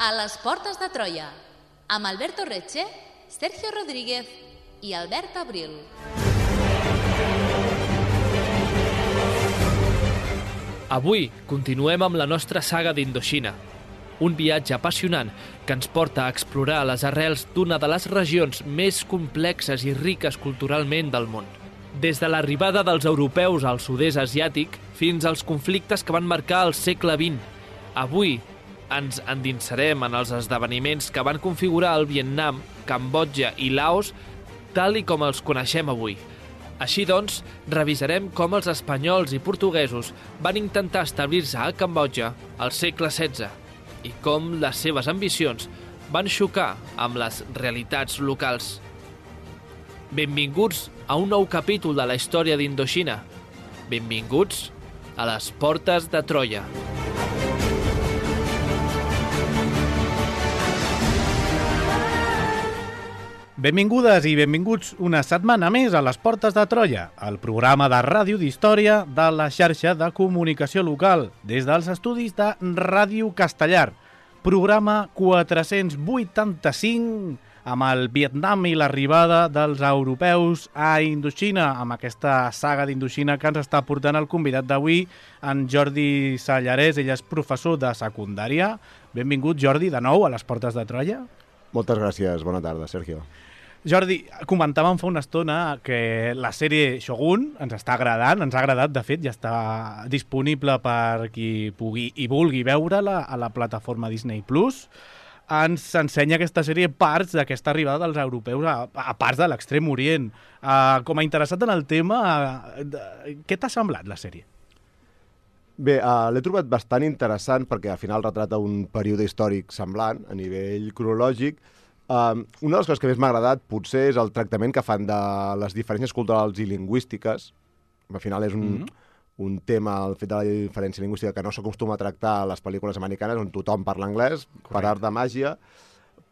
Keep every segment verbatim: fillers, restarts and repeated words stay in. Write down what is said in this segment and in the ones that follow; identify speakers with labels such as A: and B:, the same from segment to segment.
A: A les portes de Troia, amb Alberto Reche, Sergio Rodríguez i Albert Abril.
B: Avui continuem amb la nostra saga d'Indoxina, un viatge apassionant que ens porta a explorar les arrels d'una de les regions més complexes i riques culturalment del món. Des de l'arribada dels europeus al sud-est asiàtic fins als conflictes que van marcar el segle vint. Avui ens endinsarem en els esdeveniments que van configurar el Vietnam, Cambodja i Laos tal i com els coneixem avui. Així doncs, revisarem com els espanyols i portuguesos van intentar establir-se a Cambodja al segle setze i com les seves ambicions van xocar amb les realitats locals. Benvinguts a un nou capítol de la història d'Indoxina. Benvinguts a les portes de Troia.
C: Benvingudes i benvinguts una setmana més a les Portes de Troia, el programa de ràdio d'història de la xarxa de comunicació local, des dels estudis de Ràdio Castellar. Programa quatre-cents vuitanta-cinc, amb el Vietnam i l'arribada dels europeus a Indoxina, amb aquesta saga d'Indoxina que ens està portant el convidat d'avui, en Jordi Sallarès. Ell és professor de secundària. Benvingut, Jordi, de nou a les Portes de Troia.
D: Moltes gràcies. Bona tarda, Sergio.
C: Jordi, comentàvem fa una estona que la sèrie Shogun ens està agradant, ens ha agradat, de fet, ja està disponible per qui pugui i vulgui veure-la a la plataforma Disney Plus. Ens ensenya aquesta sèrie parts d'aquesta arribada dels europeus a, a parts de l'Extrem Orient. Uh, com a interessat en el tema, uh, què t'ha semblat la sèrie?
D: Bé, uh, l'he trobat bastant interessant perquè al final retrata un període històric semblant a nivell cronològic. Uh, una de les coses que més m'ha agradat potser és el tractament que fan de les diferències culturals i lingüístiques. Al final és un, mm-hmm. un tema, el fet de la diferència lingüística, que no s'acostuma a tractar a les pel·lícules americanes on tothom parla anglès, Correcte. Per art de màgia,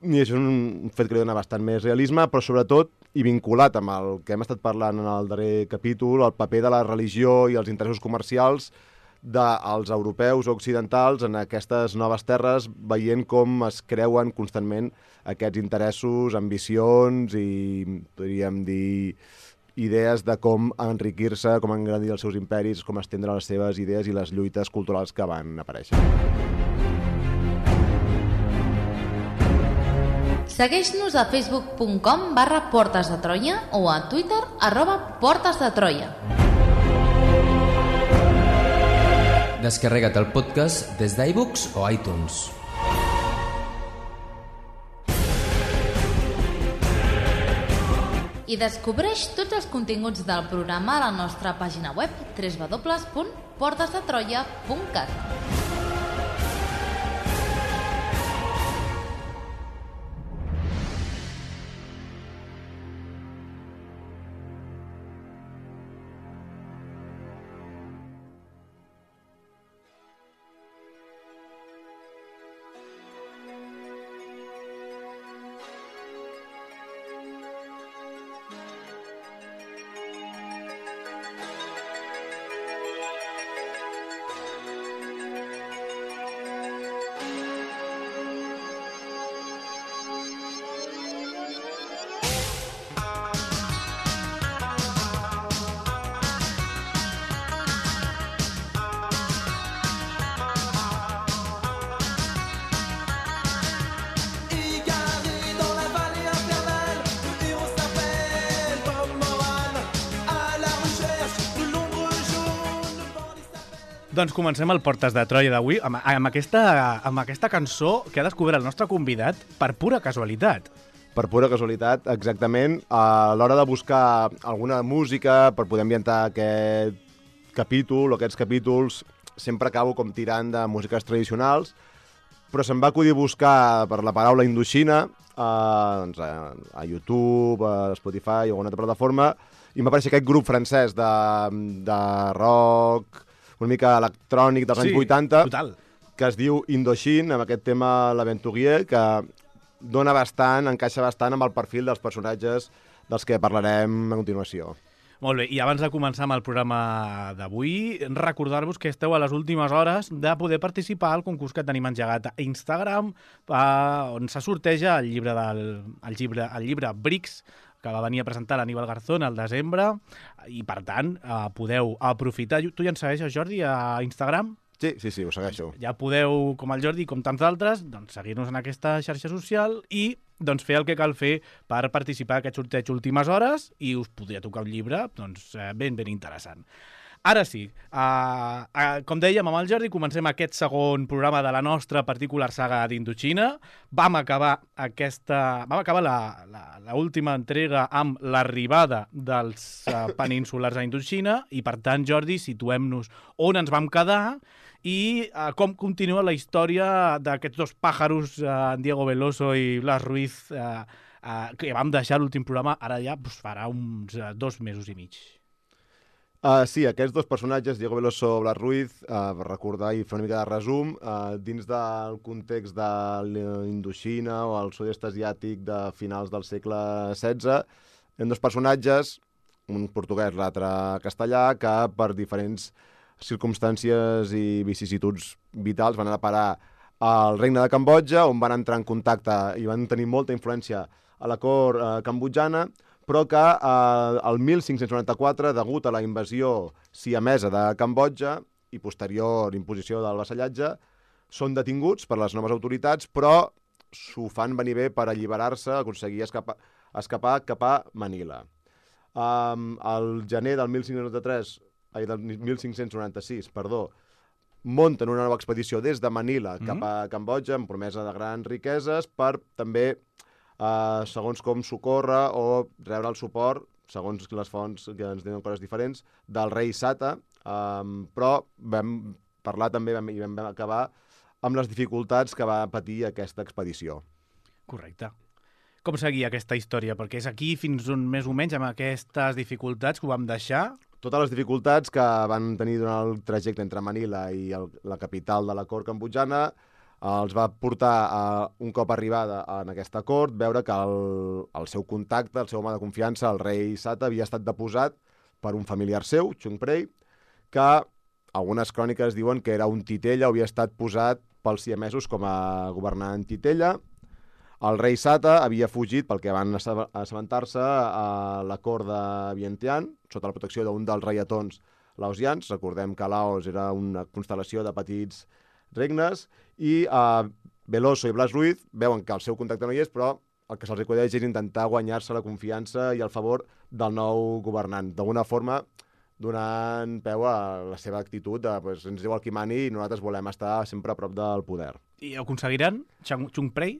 D: i això és un fet que li dona bastant més realisme, però sobretot, i vinculat amb el que hem estat parlant en el darrer capítol, el paper de la religió i els interessos comercials dels europeus occidentals en aquestes noves terres, veient com es creuen constantment aquests interessos, ambicions i, podríem dir, idees de com enriquir-se, com engrandir els seus imperis, com estendre les seves idees i les lluites culturals que van aparèixer.
A: Segueix-nos a facebook punt com barra Portes de Troia o a Twitter arroba Portes de Troia.
E: Descarrega't el podcast des d'iBooks o iTunes.
A: I descobreix tots els continguts del programa a la nostra pàgina web w w w punt portes de troia punt cat.
C: Doncs comencem el Portes de Troia d'avui amb, amb, aquesta, amb aquesta cançó que ha descobert el nostre convidat per pura casualitat.
D: Per pura casualitat, exactament. A l'hora de buscar alguna música per poder ambientar aquest capítol o aquests capítols, sempre acabo com tirant de músiques tradicionals, però se'm va acudir buscar per la paraula Indoxina a, doncs a, a YouTube, a Spotify o alguna altra plataforma, i m'ha apareixer aquest grup francès de, de rock, una mica electrònic dels sí, anys vuitanta,
C: total.
D: Que es diu Indochine, amb aquest tema L'Aventurier, que dona bastant, encaixa bastant amb el perfil dels personatges dels que parlarem a continuació.
C: Molt bé, i abans de començar amb el programa d'avui, recordar-vos que esteu a les últimes hores de poder participar al concurs que tenim engegat a Instagram, eh, on se sorteja el llibre, del, el llibre, el llibre Bricks, que va venir a presentar l'Aníbal Garzón al desembre, i per tant eh, podeu aprofitar. Tu ja ens segueixes, Jordi, a Instagram?
D: Sí, sí, sí, ho segueixo.
C: Ja podeu, com el Jordi, com tants d'altres, doncs, seguir-nos en aquesta xarxa social i doncs, fer el que cal fer per participar en aquest sorteig últimes hores i us podria tocar un llibre doncs, ben, ben interessant. Ara sí, uh, uh, com dèiem amb el Jordi, comencem aquest segon programa de la nostra particular saga d'Indochina. Vam acabar aquesta, vam acabar la, la, la última entrega amb l'arribada dels uh, peninsulars a Indochina i, per tant, Jordi, situem-nos on ens vam quedar i uh, com continua la història d'aquests dos pàjaros, uh, Diego Veloso i Blas Ruiz, uh, uh, que vam deixar l'últim programa, ara ja pues, farà uns uh, dos mesos i mig.
D: Uh, sí, aquests dos personatges, Diego Veloso i Blas Ruiz, uh, per recordar i fer una mica de resum, uh, dins del context de l'Indoxina o el sud-est asiàtic de finals del segle setze, eren dos personatges, un portuguès, l'altre castellà, que per diferents circumstàncies i vicissituds vitals van anar a parar al regne de Cambodja, on van entrar en contacte i van tenir molta influència a la cort eh, cambodjana, però que eh, el mil cinc-cents noranta-quatre, degut a la invasió siamesa de Cambodja i posterior imposició del vassallatge, són detinguts per les noves autoritats, però s'ho fan venir bé per alliberar-se, aconseguir escapar, escapar cap a Manila. Um, el gener del mil cinc-cents noranta-tres, ai, del mil cinc-cents noranta-sis, perdó, munten una nova expedició des de Manila mm-hmm. cap a Cambodja, amb promesa de grans riqueses, per també, eh, segons com socórrer o rebre el suport, segons les fonts que ens diuen coses diferents, del rei Sata, eh, però vam parlar també vam, i vam acabar amb les dificultats que va patir aquesta expedició.
C: Correcte. Com seguia aquesta història? Perquè és aquí fins on més o menys amb aquestes dificultats que ho vam deixar.
D: Totes les dificultats que van tenir durant el trajecte entre Manila i el, la capital de la cort cambodjana els va portar, a, un cop arribada en aquesta cort, veure que el, el seu contacte, el seu home de confiança, el rei Sata, havia estat deposat per un familiar seu, Chung Prey, que algunes cròniques diuen que era un titella, havia estat posat pels siamesos com a governant titella. El rei Sata havia fugit pel que van assabentar-se a la cort de Vientiane, sota la protecció d'un dels reietons laosians. Recordem que Laos era una constel·lació de petits regnes, i uh, Veloso i Blas Ruiz veuen que el seu contacte no hi és, però el que se'ls acudeix és intentar guanyar-se la confiança i el favor del nou governant. D'alguna forma, donant peu a la seva actitud de pues, ens diu el qui mani i nosaltres volem estar sempre a prop del poder.
C: I ho aconseguiran, Chung Prey?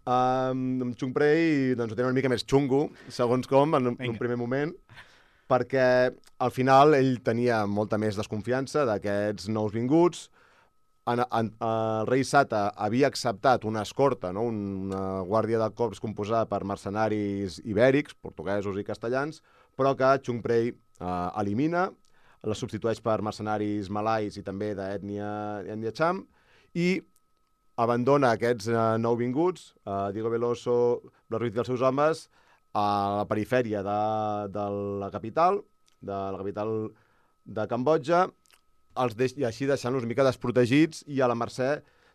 D: Um, amb Chung Prey doncs, ho tenen una mica més xungo, segons com, en, en un primer moment, perquè al final ell tenia molta més desconfiança d'aquests nous vinguts. En, en, el rei Sata havia acceptat una escorta, no? Una guàrdia de cops composada per mercenaris ibèrics, portuguesos i castellans, però que Chung Prey eh, elimina, la substitueix per mercenaris malais i també d'ètnia Cham, i abandona aquests eh, nouvinguts, eh, Diego Veloso, Blas Ruiz i els seus homes, a la perifèria de, de la capital, de la capital de Cambodja, els deix, i així deixant-los una mica desprotegits i a la mercè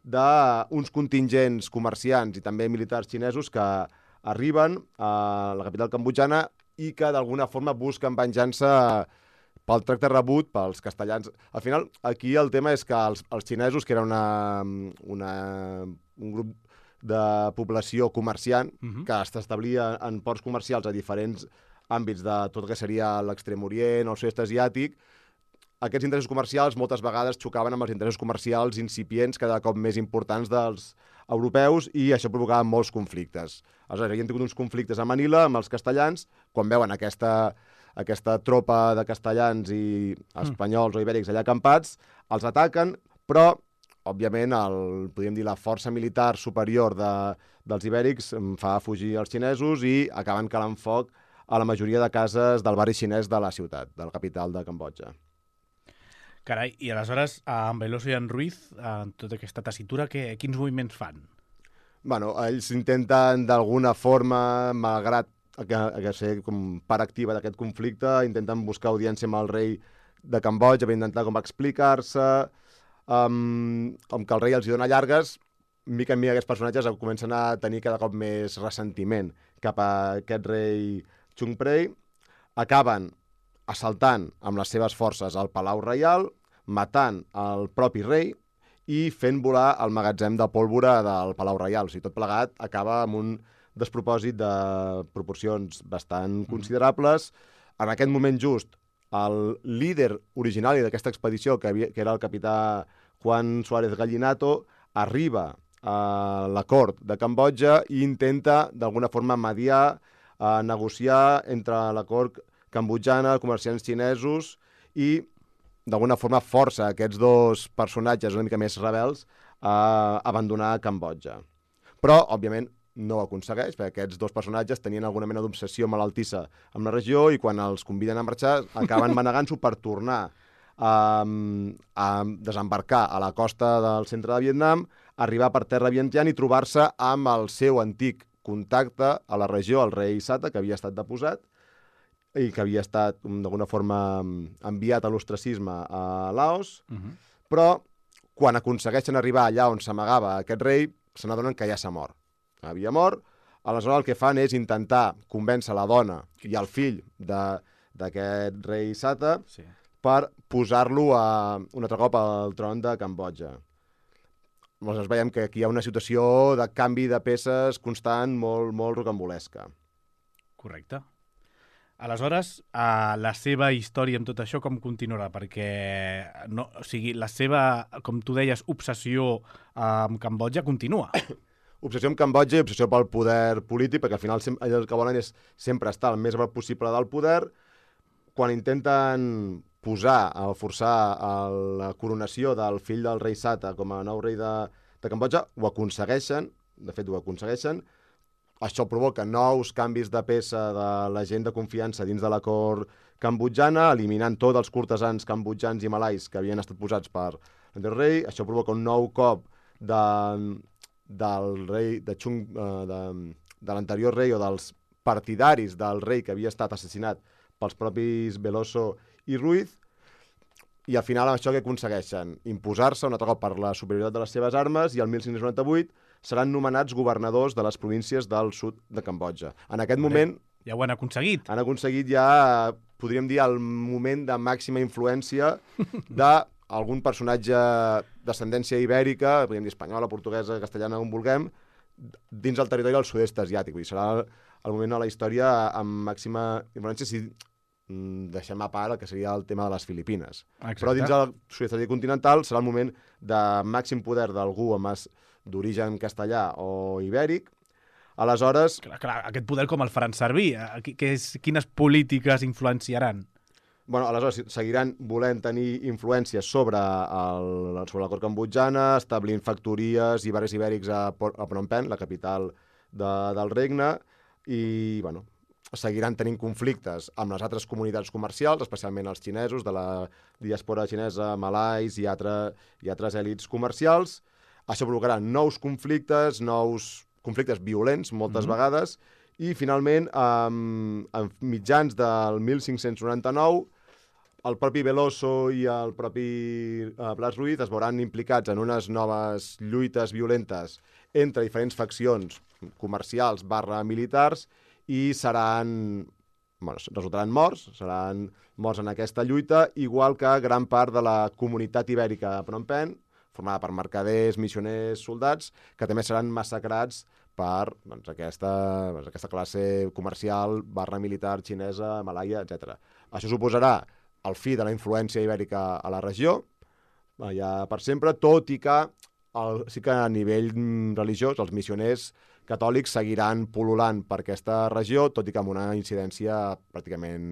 D: d'uns contingents comerciants i també militars xinesos que arriben a la capital cambodjana i que d'alguna forma busquen venjança pel tracte rebut pels castellans. Al final, aquí el tema és que els, els xinesos, que era una, una, un grup de població comerciant, uh-huh. que s'establia en ports comercials a diferents àmbits de tot el que seria l'Extrem Orient o el sud-est asiàtic, aquests interessos comercials moltes vegades xocaven amb els interessos comercials incipients cada cop més importants dels europeus i això provocava molts conflictes. Aleshores, havien tingut uns conflictes a Manila amb els castellans, quan veuen aquesta, aquesta tropa de castellans i espanyols o ibèrics allà acampats, els ataquen, però, òbviament, el, podríem dir, la força militar superior de, dels ibèrics fa fugir els xinesos i acaben calant foc a la majoria de cases del barri xinès de la ciutat, de la capital de Cambodja.
C: Carai, i aleshores, en Veloso i en Ruiz, en tota aquesta tessitura, quins moviments fan?
D: Bueno, ells intenten, d'alguna forma, malgrat a, a, a ser com part activa d'aquest conflicte, intenten buscar audiència amb el rei de Cambodja per intentar com explicar-se, um, com que el rei els hi dona llargues, mica en mica aquests personatges comencen a tenir cada cop més ressentiment cap a aquest rei Chung Prey, acaben assaltant amb les seves forces al Palau Reial, matant el propi rei i fent volar el magatzem de pólvora del Palau Reial. O sigui, tot plegat acaba amb un despropòsit de proporcions bastant considerables. En aquest moment just, el líder originari d'aquesta expedició, que, havia, que era el capità Juan Suárez Gallinato, arriba a la cort de Cambodja i intenta, d'alguna forma, mediar, eh, negociar entre la cort cambodjana, comerciants xinesos, i d'alguna forma força aquests dos personatges una mica més rebels a abandonar Cambodja. Però, òbviament, no ho aconsegueix, perquè aquests dos personatges tenien alguna mena d'obsessió malaltissa amb la regió i quan els conviden a marxar acaben manegant-s'ho per tornar a, a desembarcar a la costa del centre de Vietnam, arribar per terra Vientiane i trobar-se amb el seu antic contacte a la regió, el rei Sata, que havia estat deposat i que havia estat d'alguna forma enviat a l'ostracisme a Laos, uh-huh. Però quan aconsegueixen arribar allà on s'amagava aquest rei, se n'adonen que ja s'ha mort. Havia mort, aleshores el que fan és intentar convèncer la dona i el fill d'aquest rei Sata sí. per posar-lo a, un altre cop al tron de Cambodja. Aleshores veiem que aquí hi ha una situació de canvi de peces constant molt, molt rocambolesca.
C: Correcte. Aleshores, uh, la seva història amb tot això com continuarà? Perquè no, o sigui, la seva, com tu deies, obsessió uh, amb Cambodja continua.
D: Obsessió amb Cambodja i obsessió pel poder polític, perquè al final el que volen és sempre estar el més possible del poder. Quan intenten posar, o forçar la coronació del fill del rei Sata com a nou rei de, de Cambodja, ho aconsegueixen, de fet ho aconsegueixen. Això provoca nous canvis de peça de la gent de confiança dins de la cort cambodjana, eliminant tots els cortesans cambodjans i malais que havien estat posats per l'anterior rei. Això provoca un nou cop de, del rei de Chung, de, de l'anterior rei o dels partidaris del rei que havia estat assassinat pels propis Veloso i Ruiz, i al final això que aconsegueixen? Imposar-se un altre cop per la superioritat de les seves armes, i el mil cinc-cents noranta-vuit seran nomenats governadors de les províncies del sud de Cambodja. En aquest Bé, moment...
C: Ja ho han aconseguit.
D: Han aconseguit ja, podríem dir, el moment de màxima influència d'algun personatge d'ascendència ibèrica, podríem dir espanyola, portuguesa, castellana, on vulguem, dins el territori del sud-est asiàtic. Vull dir, serà el moment de la història amb màxima influència si deixem a part el que seria el tema de les Filipines. Exacte. Però dins el sud-est asiàtic continental serà el moment de màxim poder d'algú amb d'origen castellà o ibèric. Aleshores...
C: Clar, clar, aquest poder com el faran servir? Que és, quines polítiques influenciaran?
D: Bueno, aleshores seguiran volent tenir influència sobre, el, sobre la cort cambodjana, establint factories i barris ibèrics a, a Phnom Penh, la capital de, del regne, i bueno, seguiran tenint conflictes amb les altres comunitats comercials, especialment els xinesos, de la diàspora xinesa, malais i, altre, i altres èlits comercials. Això provocarà nous conflictes, nous conflictes violents, moltes mm-hmm. vegades, i finalment, um, a mitjans del mil cinc-cents noranta-nou, el propi Veloso i el propi uh, Blas Ruiz es veuran implicats en unes noves lluites violentes entre diferents faccions comercials barra militars i seran, bueno, resultaran morts, seran morts en aquesta lluita, igual que gran part de la comunitat ibèrica de Phnom Penh, formada per mercaders, missioners, soldats, que també seran massacrats per doncs, aquesta, doncs, aquesta classe comercial barra militar xinesa, malaia, etcètera. Això suposarà el fi de la influència ibèrica a la regió, ja per sempre, tot i que el, sí que a nivell religiós els missioners catòlics seguiran pol·lulant per aquesta regió, tot i que amb una incidència pràcticament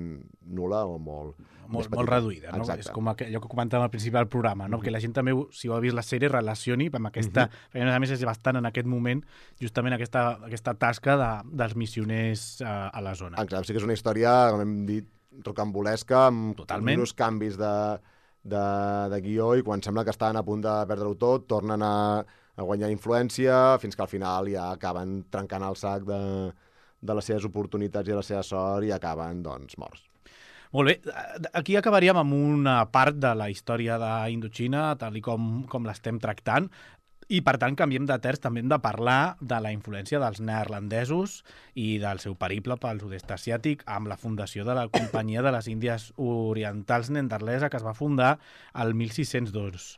D: nul·la o molt,
C: molt, molt reduïda. No? És com allò que comentàvem al principi del programa, no? Mm-hmm. Que la gent també, si ho ha vist la sèrie, relacioni amb aquesta... Mm-hmm. A més, és bastant en aquest moment justament aquesta, aquesta tasca de, dels missioners uh, a la zona.
D: Exacte, sí que és una història, com hem dit, rocambolesca, amb
C: Totalment.
D: uns canvis de, de, de guió, i quan sembla que estan a punt de perdre-ho tot, tornen a a guanyar influència, fins que al final ja acaben trencant el sac de, de les seves oportunitats i de la seva sort i acaben, doncs, morts.
C: Molt bé, aquí acabaríem amb una part de la història d'Indoxina, tal i com, com l'estem tractant, i per tant canviem de terç, també hem de parlar de la influència dels neerlandesos i del seu periple pel sud-est asiàtic amb la fundació de la Companyia de les Índies Orientals Neerlandesa, que es va fundar el mil sis-cents dos.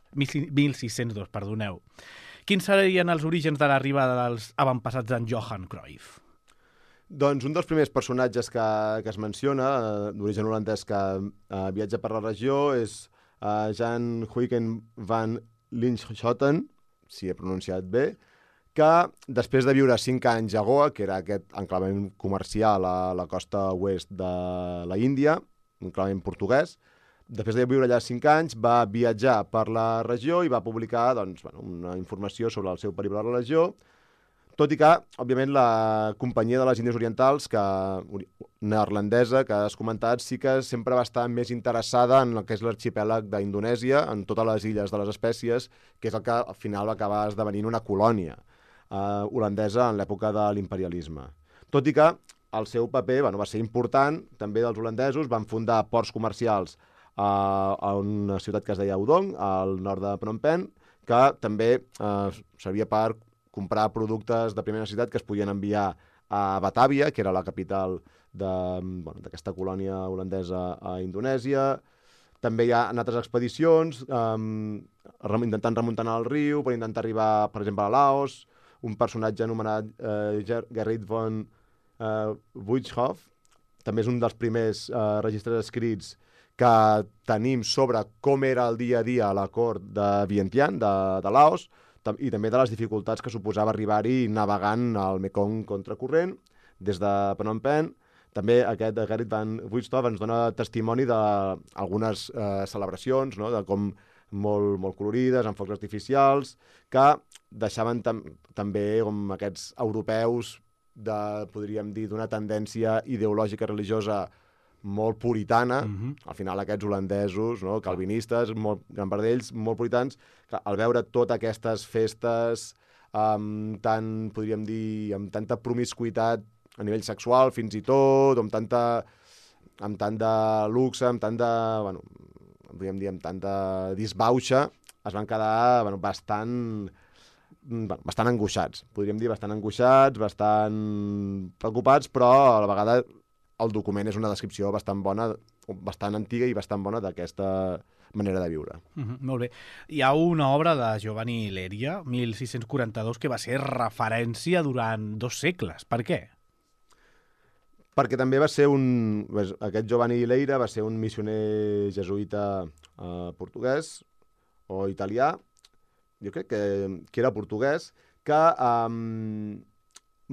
C: Perdoneu. Quins serien els orígens de l'arribada dels avantpassats d'en Johan Cruyff?
D: Doncs un dels primers personatges que, que es menciona, eh, d'origen holandès, que eh, viatja per la regió, és eh, Jan Huygen van Linschoten, si he pronunciat bé, que després de viure cinc anys a Goa, que era aquest enclavament comercial a la costa oest de la Índia, un enclavament portuguès, després de viure allà cinc anys va viatjar per la regió i va publicar doncs, bueno, una informació sobre el seu periple a la regió, tot i que, òbviament, la Companyia de les Índies Orientals, que, neerlandesa, que has comentat, sí que sempre va estar més interessada en el que és l'arxipèlag d'Indonèsia, en totes les illes de les espècies, que és el que al final va acabar esdevenint una colònia eh, holandesa en l'època de l'imperialisme. Tot i que el seu paper bueno, va ser important, també dels holandesos, van fundar ports comercials eh, a una ciutat que es deia Udong, al nord de Phnom Penh, que també eh, servia per comprar productes de primera necessitat que es podien enviar a Batàvia, que era la capital d'aquesta bueno, colònia holandesa a Indonèsia. També hi ha en altres expedicions, eh, intentant remuntar el riu, per intentar arribar, per exemple, a Laos, un personatge anomenat eh, Gerrit von eh, Buithoff, també és un dels primers eh, registres escrits que tenim sobre com era el dia a dia a la cort de Vientiane, de, de Laos, i també de les dificultats que suposava arribar-hi navegant al Mekong contracorrent des de Phnom Penh. També aquest Gerrit van Buithoff ens dona testimoni d'algunes eh, celebracions, no? De com molt, molt colorides, amb focs artificials, que deixaven tam també com aquests europeus de, podríem dir, d'una tendència ideològica religiosa molt puritana, mm-hmm. Al final aquests holandesos, no? Calvinistes, molt, gran part d'ells, molt puritans, que al veure totes aquestes festes amb tant, podríem dir, amb tanta promiscuitat a nivell sexual fins i tot, amb tanta amb tant de luxe, amb tant de, bueno, podríem dir, amb tanta disbauxa, es van quedar bueno, bastant, bueno, bastant angoixats, podríem dir bastant angoixats, bastant preocupats, però a la vegada el document és una descripció bastant bona, bastant antiga i bastant bona d'aquesta manera de viure.
C: Mm-hmm, molt bé. Hi ha una obra de Giovanni Leria, mil sis-cents quaranta-dos, que va ser referència durant dos segles. Per què?
D: Perquè també va ser un... Aquest Giovanni Leira va ser un missioner jesuïta eh, portuguès o italià, jo crec que, que era portuguès, que eh,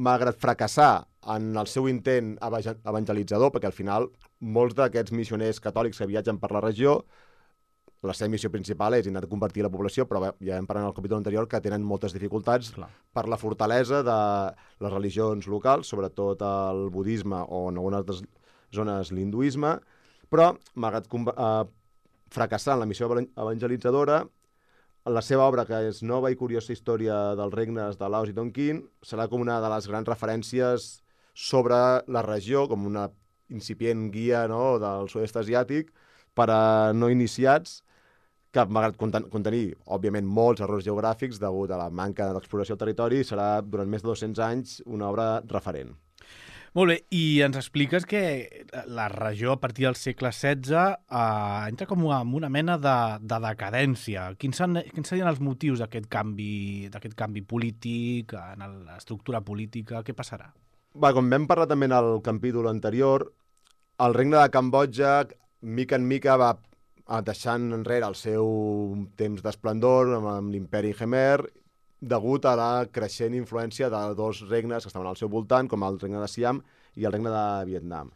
D: malgrat fracassar en el seu intent evangelitzador, perquè al final molts d'aquests missioners catòlics que viatgen per la regió, la seva missió principal és intentar convertir la població, però ja hem parlat en el capítol anterior que tenen moltes dificultats Clar. per la fortalesa de les religions locals, sobretot el budisme o en algunes altres zones l'hinduisme, però malgrat eh, fracassar en la missió evangelitzadora, la seva obra, que és Nova i curiosa història dels regnes de Laos i Tonkin, serà com una de les grans referències sobre la regió, com una incipient guia no, del sud-est asiàtic per a no iniciats, que malgrat contenir, òbviament, molts errors geogràfics degut a la manca d'exploració del territori, serà durant més de dos-cents anys una obra referent.
C: Molt bé, i ens expliques que la regió a partir del segle setze eh, entra com en una mena de, de decadència. Quins, han, quins serien els motius d'aquest canvi, d'aquest canvi polític, en l'estructura política? Què passarà?
D: Va, com vam parlar també en el capítol anterior, el regne de Cambodja, mica en mica, va deixant enrere el seu temps d'esplendor amb, amb l'imperi Khmer, degut a la creixent influència de dos regnes que estaven al seu voltant, com el regne de Siam i el regne de Vietnam.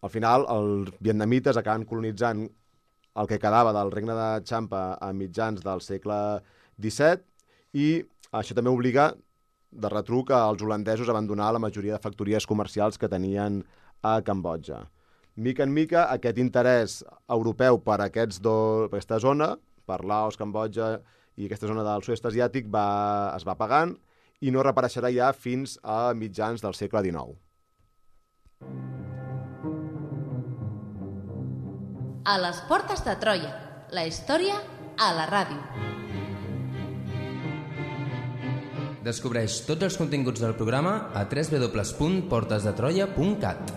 D: Al final, els vietnamites acaben colonitzant el que quedava del regne de Champa a mitjans del segle disset i això també obliga de retruc als holandesos a abandonar la majoria de factories comercials que tenien a Cambodja. Mica en mica, aquest interès europeu per, aquests dos, per aquesta zona, per Laos, Cambodja i aquesta zona del sud-est asiàtic va, es va apagant i no reapareixerà ja fins a mitjans del segle dinou.
A: A les portes de Troia, la història a la ràdio.
E: Descobreix tots els continguts del programa a w w w punt portes de troia punt cat.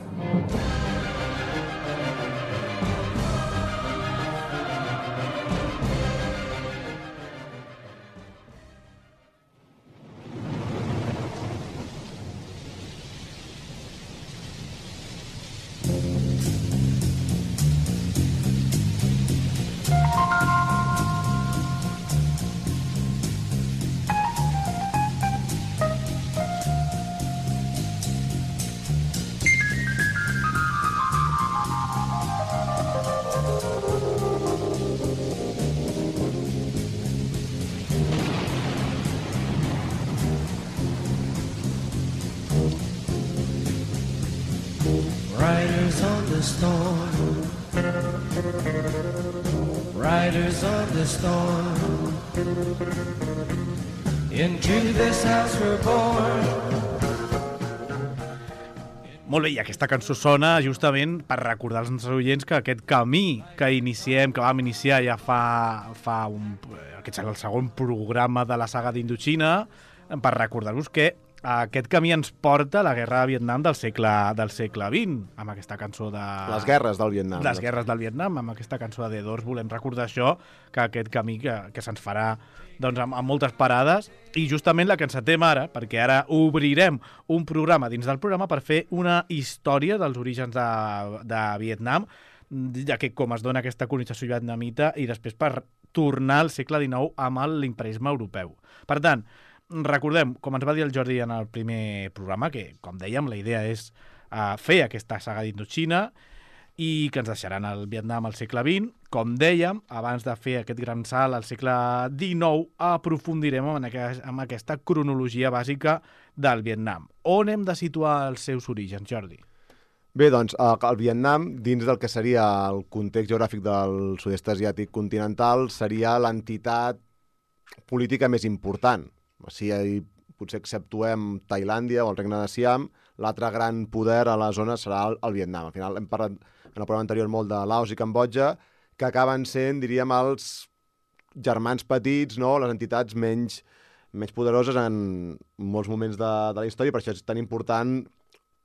F: Riders on the storm, riders on the storm, into this house we're born.
C: Molt bé, i aquesta cançó sona justament per recordar als nostres oients que aquest camí que iniciem, que vam iniciar ja fa, fa un, aquest serà el segon programa de la saga d'Indochina, per recordar-vos que aquest camí ens porta a la guerra de Vietnam del segle, del segle vint, amb aquesta cançó de...
D: Les guerres del Vietnam.
C: Les guerres del Vietnam, amb aquesta cançó de The Doors volem recordar això, que aquest camí que, que se'ns farà doncs, amb, amb moltes parades, i justament la que encetem ara, perquè ara obrirem un programa dins del programa per fer una història dels orígens de, de Vietnam, ja que com es dona aquesta colonització vietnamita, i després per tornar al segle dinou amb l'imperisme europeu. Per tant, recordem, com ens va dir el Jordi en el primer programa, que, com dèiem, la idea és uh, fer aquesta saga d'Indochina i que ens deixaran el Vietnam al segle vint. Com dèiem, abans de fer aquest gran salt al segle dinou, aprofundirem en, aquest, en aquesta cronologia bàsica del Vietnam. On hem de situar els seus orígens, Jordi?
D: Bé, doncs, el Vietnam, dins del que seria el context geogràfic del sud-est asiàtic continental, seria l'entitat política més important. O sigui, potser exceptuem Tailàndia o el regne de Siam, l'altre gran poder a la zona serà el, el Vietnam. Al final hem parlat en el programa anterior molt de Laos i Cambodja, que acaben sent, diríem, els germans petits, no? Les entitats menys, menys poderoses en molts moments de, de la història, per això és tan important,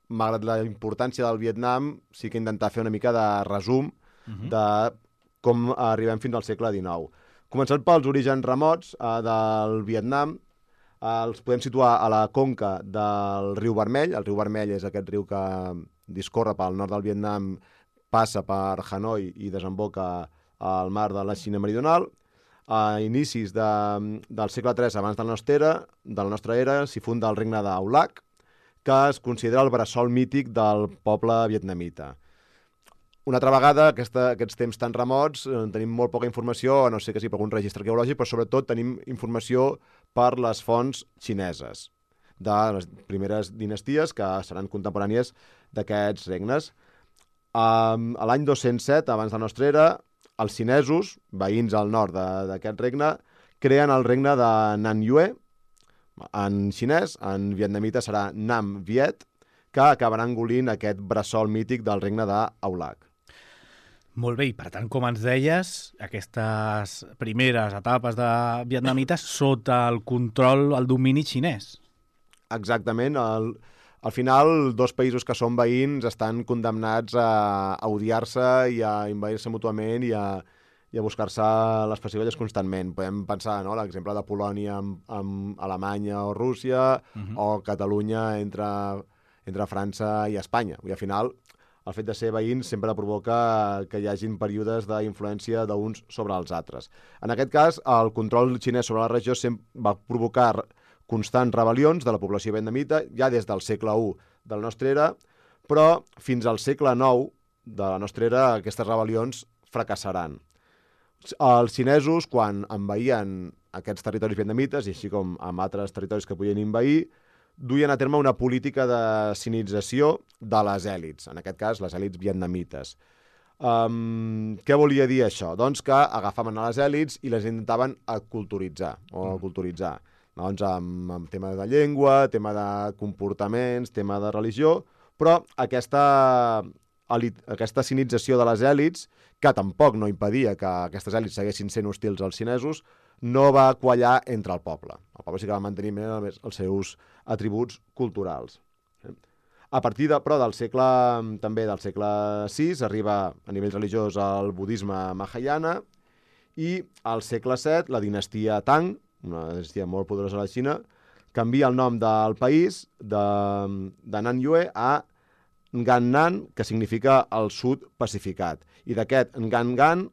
D: malgrat la importància del Vietnam, sí que intentar fer una mica de resum uh-huh. de com arribem fins al segle dinou. Començant pels orígens remots eh, del Vietnam, els podem situar a la conca del riu Vermell. El riu Vermell és aquest riu que discorre pel nord del Vietnam, passa per Hanoi i desemboca al mar de la Xina Meridional. A inicis de, del segle tres abans de la nostra era, de la nostra era s'hi funda el regne d'Aulac, que es considera el bressol mític del poble vietnamita. Una altra vegada, aquesta, aquests temps tan remots, eh, tenim molt poca informació, a no sé que sigui per algun registre arqueològic, però sobretot tenim informació per les fonts xineses de les primeres dinasties que seran contemporànies d'aquests regnes. Um, a l'any dos-cents set, abans de la nostra era, els xinesos, veïns al nord d'aquest regne, creen el regne de Nam Yue, en xinès, en vietnamita serà Nam Viet, que acabarà engolint aquest bressol mític del regne d'Aulac.
C: Molt bé, i per tant, com ens deies, aquestes primeres etapes de vietnamites sota el control, el domini xinès.
D: Exactament. El, al final, dos països que són veïns estan condemnats a, a odiar-se i a invadir-se mútuament i a, i a buscar-se les pessigolles constantment. Podem pensar, no?, l'exemple de Polònia amb, amb Alemanya o Rússia, uh-huh. o Catalunya entre, entre França i Espanya. I al final, el fet de ser veïns sempre provoca que hi hagin períodes d'influència d'uns sobre els altres. En aquest cas, el control xinès sobre la regió va provocar constants rebel·lions de la població vietnamita, ja des del segle u de la nostra era, però fins al segle nou de la nostra era aquestes rebel·lions fracassaran. Els xinesos, quan envaïen aquests territoris vietnamites, i així com amb altres territoris que podien invair, duien a terme una política de sinització de les èlits, en aquest cas les èlits vietnamites. Um, què volia dir això? Doncs que agafaven a les èlits i les intentaven aculturitzar, o culturitzar. Doncs amb, amb tema de llengua, tema de comportaments, tema de religió, però aquesta, elit, aquesta sinització de les èlits, que tampoc no impedia que aquestes èlits seguessin sent hostils als xinesos, no va quallar entre el poble. El poble sí que va mantenir més els seus atributs culturals. A partir de, però, del segle, també del segle sis, arriba a nivell religiós el budisme Mahayana, i al segle set la dinastia Tang, una dinastia molt poderosa a la Xina, canvia el nom del país de, de Nanyue a Ngannan, que significa el sud pacificat. I d'aquest Ngangan,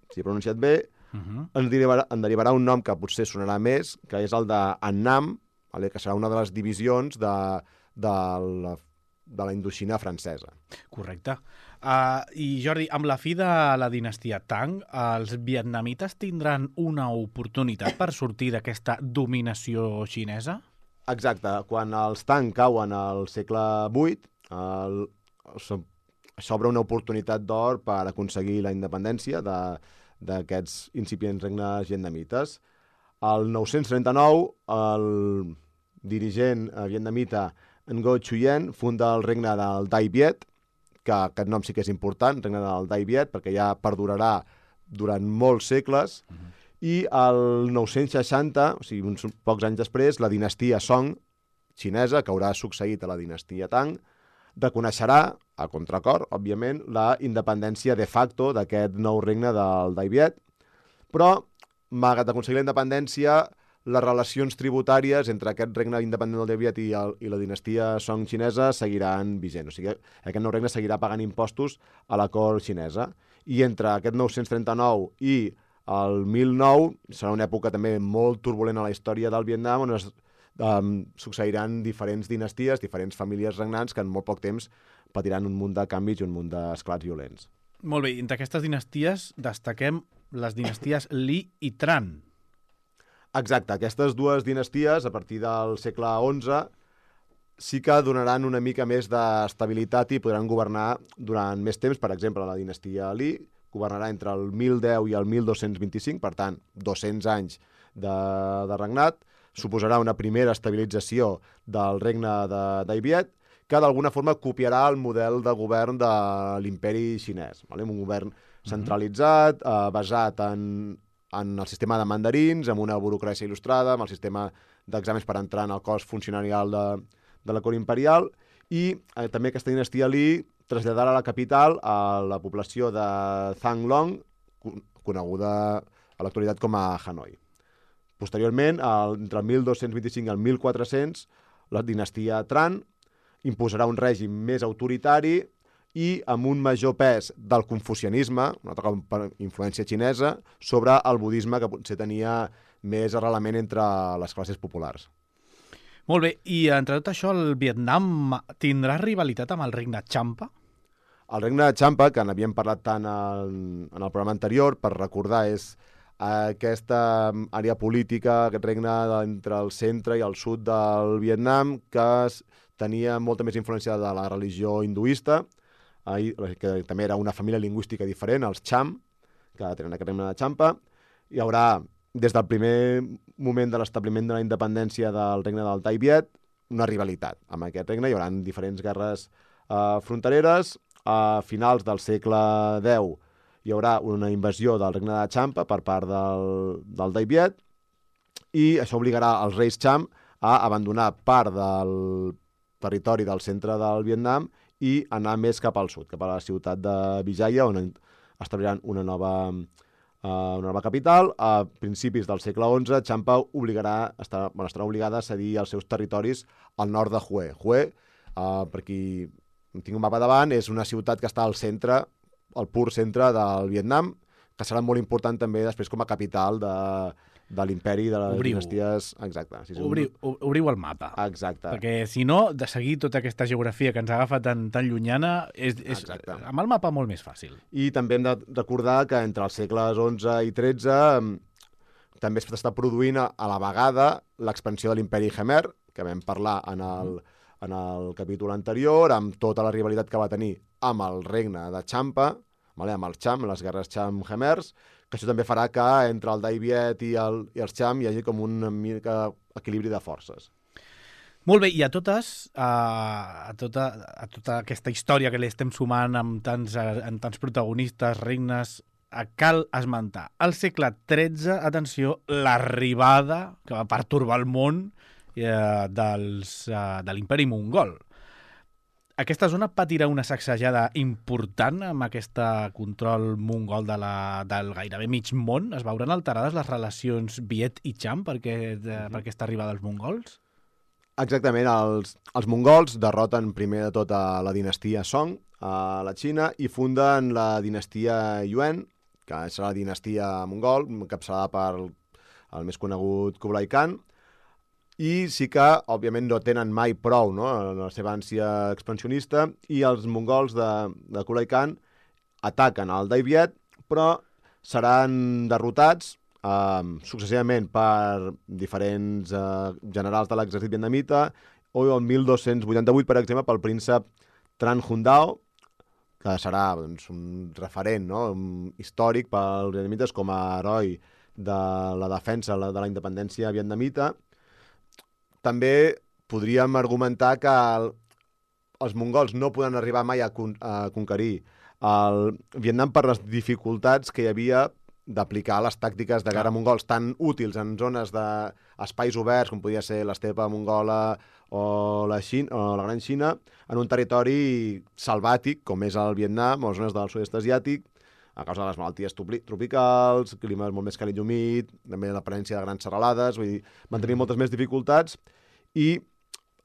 D: si he pronunciat bé, uh -huh. en, derivarà, en derivarà un nom que potser sonarà més, que és el de Annam, vale? Que serà una de les divisions de, de, la, de la Indoxina francesa.
C: Correcte. Uh, I Jordi, amb la fi de la dinastia Tang, els vietnamites tindran una oportunitat per sortir d'aquesta dominació xinesa?
D: Exacte. Quan els Tang cauen al segle vuit, el, s'obre una oportunitat d'or per aconseguir la independència d'aquests incipients regnes vietnamites. El nou-cents trenta-nou, el dirigent vietnamita Ngo Nguyen funda el regne del Dai Viet, que aquest nom sí que és important, regne del Dai Viet, perquè ja perdurarà durant molts segles, uh-huh. I el nou-cents seixanta, o sigui, uns pocs anys després, la dinastia Song, xinesa, que haurà succeït a la dinastia Tang, reconeixerà, a contracor, òbviament, la independència de facto d'aquest nou regne del Dai Viet, però, malgrat aconseguir la independència, les relacions tributàries entre aquest regne independent del Dai Viet i, el, i la dinastia Song xinesa seguiran vigent. O sigui, aquest nou regne seguirà pagant impostos a la cort xinesa. I entre aquest nou-cents trenta-nou i el mil nou serà una època també molt turbulenta a la història del Vietnam, on es um, succeiran diferents dinasties, diferents famílies regnants que en molt poc temps patiran un munt de canvis i un munt d'esclats violents.
C: Molt bé, entre aquestes dinasties destaquem les dinasties Li i Tran.
D: Exacte, aquestes dues dinasties, a partir del segle onze, sí que donaran una mica més d'estabilitat i podran governar durant més temps. Per exemple, la dinastia Li governarà entre el mil deu i el mil dos-cents vint-i-cinc, per tant, dos-cents anys de, de regnat. Suposarà una primera estabilització del regne de Dai Viet, que d'alguna forma copiarà el model de govern de l'imperi xinès. Vale? Un govern centralitzat, eh, basat en, en el sistema de mandarins, amb una burocràcia il·lustrada, amb el sistema d'exàmens per entrar en el cos funcionarial de, de la cort imperial, i eh, també aquesta dinastia Li traslladarà la capital a la població de Thang Long, coneguda a l'actualitat com a Hanoi. Posteriorment, el, entre el mil dos-cents vint-i-cinc i el mil quatre-cents, la dinastia Tran imposarà un règim més autoritari i amb un major pes del confucianisme, una altra per influència xinesa, sobre el budisme, que potser tenia més arrelament entre les classes populars.
C: Molt bé, i entre tot això el Vietnam tindrà rivalitat amb el regne Champa?
D: El regne de Champa, que n'havíem parlat tant en, en el programa anterior, per recordar, és aquesta àrea política, aquest regne entre el centre i el sud del Vietnam, que tenia molta més influència de la religió hinduista, que també era una família lingüística diferent, els Cham, que tenen aquest regne de Champa. Hi haurà, des del primer moment de l'establiment de la independència del regne del Dai Viet, una rivalitat amb aquest regne. Hi haurà diferents guerres eh, frontereres. A finals del segle deu hi haurà una invasió del regne de Champa per part del, del Dai Viet, i això obligarà els reis Cham a abandonar part del territori del centre del Vietnam i anar més cap al sud, cap a la ciutat de Vijaya, on establiran una nova, uh, una nova capital. A principis del segle onze, Champa obligarà, estarà, bueno, estarà obligada a cedir els seus territoris al nord de Hue. Hue, uh, per qui tinc un mapa davant, és una ciutat que està al centre, al pur centre del Vietnam, que serà molt important també després com a capital de, de l'imperi de les
C: Obriu.
D: dinasties. Exacte. Sí, sí,
C: Obriu, obriu el mapa.
D: Exacte.
C: Perquè si no, de seguir tota aquesta geografia que ens agafa tan, tan llunyana, és, és amb el mapa molt més fàcil.
D: I també hem de recordar que entre els segles onze i tretze també s'està produint a la vegada l'expansió de l'imperi Khmer, que vam parlar en el, en el capítol anterior, amb tota la rivalitat que va tenir amb el regne de Champa, vale, amb els Cham, les guerres Cham-Khmers, que això també farà que entre el Dai Viet i, el, i els Cham hi hagi com un mica equilibri de forces.
C: Molt bé, i a totes, a, a, tota, a tota aquesta història que li estem sumant amb tants, amb tants protagonistes, regnes, cal esmentar al segle tretze, atenció, l'arribada que va pertorbar el món eh, dels, eh, de l'imperi mongol. Aquesta zona patirà una sacsejada important amb aquest control mongol de la, del gairebé mig món. Es veuran alterades les relacions Viet i Cham per, aquest, mm-hmm. per aquesta arribada dels mongols?
D: Exactament, els, els mongols derroten primer de tot a la dinastia Song a la Xina i funden la dinastia Yuan, que serà la dinastia mongol, encapçalada per el, el més conegut Kublai Khan, i sí que, òbviament, no tenen mai prou, no?, en la seva ànsia expansionista, i els mongols de, de Kublai Khan ataquen al Dai Viet, però seran derrotats Uh, successivament per diferents uh, generals de l'exèrcit vietnamita, o el mil dos-cents vuitanta-vuit, per exemple, pel príncep Tran Hun Dao, que serà doncs, un referent, no?, un històric pels vietnamites com a heroi de la defensa de la independència vietnamita. També podríem argumentar que el, els mongols no poden arribar mai a, con a conquerir el Vietnam per les dificultats que hi havia d'aplicar les tàctiques de guerra mongols tan útils en zones d'espais oberts, com podia ser l'estepa mongola o la, Xina, o la Gran Xina, en un territori selvàtic, com és el Vietnam o les zones del sud-est asiàtic, a causa de les malalties tropicals, climes molt més càlid i humit, també la presència de grans serralades, vull dir, van tenir moltes més dificultats, i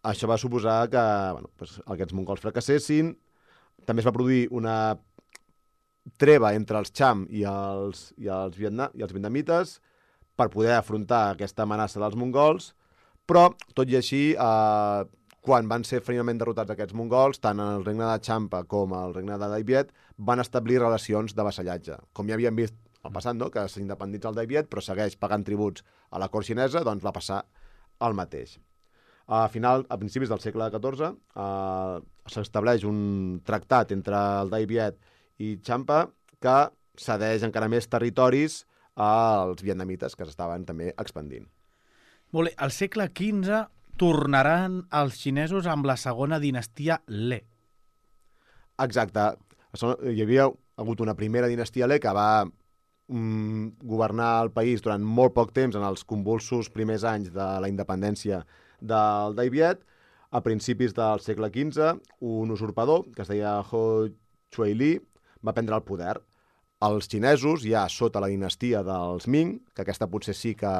D: això va suposar que bueno, doncs, aquests mongols fracassessin. També es va produir una treva entre els Cham i els, i els, Vietnam, i els vietnamites per poder afrontar aquesta amenaça dels mongols, però, tot i així, eh, quan van ser finalment derrotats aquests mongols, tant el regne de Champa com el regne de Dai Viet van establir relacions de vassallatge. Com ja havíem vist al passat, no?, que s'independitza el Dai Viet, però segueix pagant tributs a la cort xinesa, doncs va passar el mateix. A, final, a principis del segle catorze eh, s'estableix un tractat entre el Dai Viet i Champa, que cedeix encara més territoris als vietnamites, que s'estaven també expandint.
C: Molt bé, al segle quinze tornaran els xinesos amb la segona dinastia Le.
D: Exacte. Hi havia hagut una primera dinastia Le que va mm, governar el país durant molt poc temps, en els convulsos primers anys de la independència del Dai Viet. A principis del segle quinze, un usurpador, que es deia Ho Chui Li, va prendre el poder. Els xinesos, ja sota la dinastia dels Ming, que aquesta potser sí que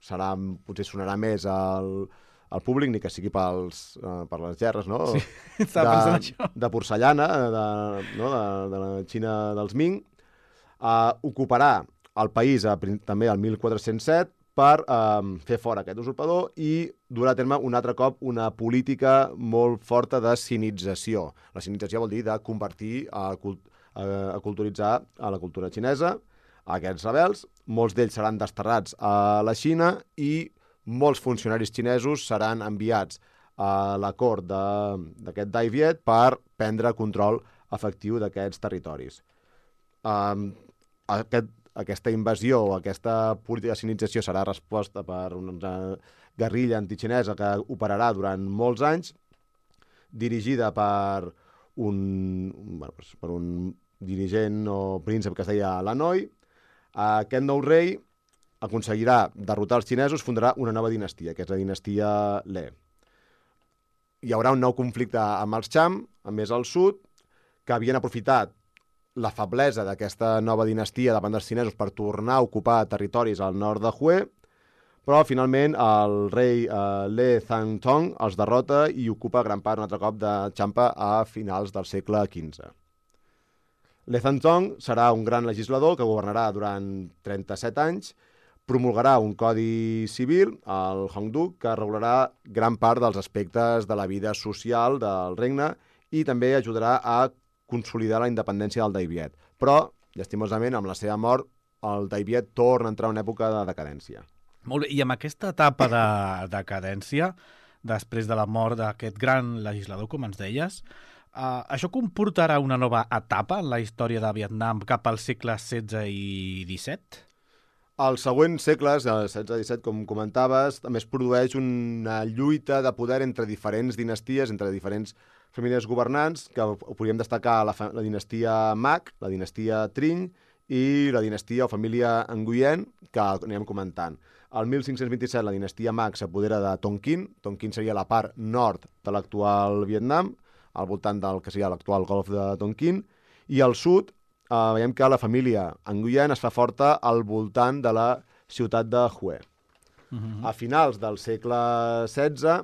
D: serà, potser sonarà més al, al públic, ni que sigui pels, uh, per les gerres, no?
C: Sí, estava pensant això.
D: De porcellana, de, no? de, de la Xina dels Ming, uh, ocuparà el país a, també al mil quatre-cents set per uh, fer fora aquest usurpador i durà a terme un altre cop una política molt forta de sinització. La sinització vol dir de convertir a cultura a culturitzar a la cultura xinesa, a aquests rebels. Molts d'ells seran desterrats a la Xina i molts funcionaris xinesos seran enviats a la cort d'aquest Dai Viet per prendre control efectiu d'aquests territoris. Um, aquest, aquesta invasió o aquesta política de sinització serà resposta per una guerrilla antixinesa que operarà durant molts anys, dirigida per un, bueno, per un dirigent o príncep que es deia Lanoi. Aquest nou rei aconseguirà derrotar els xinesos, fundarà una nova dinastia, que és la dinastia Le. Hi haurà un nou conflicte amb els Cham, a més al sud, que havien aprofitat la feblesa d'aquesta nova dinastia davant dels xinesos per tornar a ocupar territoris al nord de Hue, però finalment el rei eh, Le Zhangtong els derrota i ocupa gran part un altre cop de Champa a finals del segle quinze. Le Zhangtong serà un gran legislador que governarà durant trenta-set anys, promulgarà un codi civil, el Hongdu, que regularà gran part dels aspectes de la vida social del regne i també ajudarà a consolidar la independència del Dai Viet. Però, llastimosament, amb la seva mort, el Dai Viet torna a entrar en una època de decadència.
C: Molt bé, i amb aquesta etapa de decadència, després de la mort d'aquest gran legislador, com ens deies, Uh, això comportarà una nova etapa en la història de Vietnam cap al segle setze i disset?
D: Als següents segles, el setze disset, com comentaves, també es produeix una lluita de poder entre diferents dinasties, entre diferents famílies governants, que podríem destacar la, la dinastia Mac, la dinastia Triny i la dinastia o família Nguyen, que anirem comentant. Al mil cinc-cents vint-i-set la dinastia Mac s'apodera de Tonkin. Tonkin seria la part nord de l'actual Vietnam, al voltant del que seria l'actual golf de Tonkin, i al sud eh, veiem que la família Nguyen es fa forta al voltant de la ciutat de Hue. Uh-huh. A finals del segle setze,